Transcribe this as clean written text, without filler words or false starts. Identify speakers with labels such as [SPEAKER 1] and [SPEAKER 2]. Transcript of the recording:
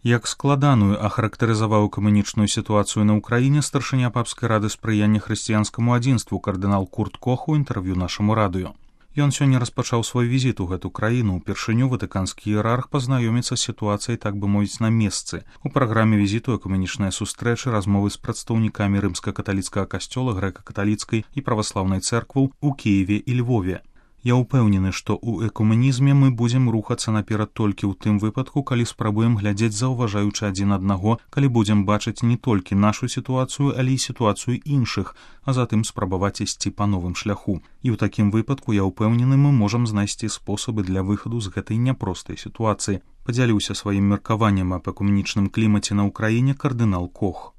[SPEAKER 1] Як складаную ахарактарызаваў экуменічную сітуацыю на ўкраіне старшыня папскай рады спрыяння хрысціянскаму адзінству кардынал Курт Кох у інтэрв'ю нашаму радыё. Ён сёння распачаў свой візіт у гэту краіну. Упершыню ватыканскі іерарх пазнаёміцца з сітуацыяй, так бы мовіць, на месцы. У праграме візіту экуменічныя сустрэчы, размовы з прадстаўнікамі рымска-каталіцкага касцёла, грэка-каталіцкай і праваслаўнай цэркваў у Кіеве і Львове. Я ўпэўнены, што ў экуменізме мы будзем рухацца наперад толькі ў тым выпадку, калі спрабуем глядзець заўважаючы адзін аднаго, калі будзем бачыць не толькі нашу сітуацыю, але і сітуацыю іншых, а затым спрабаваць ісці па новым шляху. І ў такім выпадку, я ўпэўнены, мы можам знайсці спосабы для выхаду з гэтай няпростай сітуацыі. Падзяліўся сваім меркаваннем аб экуменічным клімаце на ўкраіне кардынал Кох.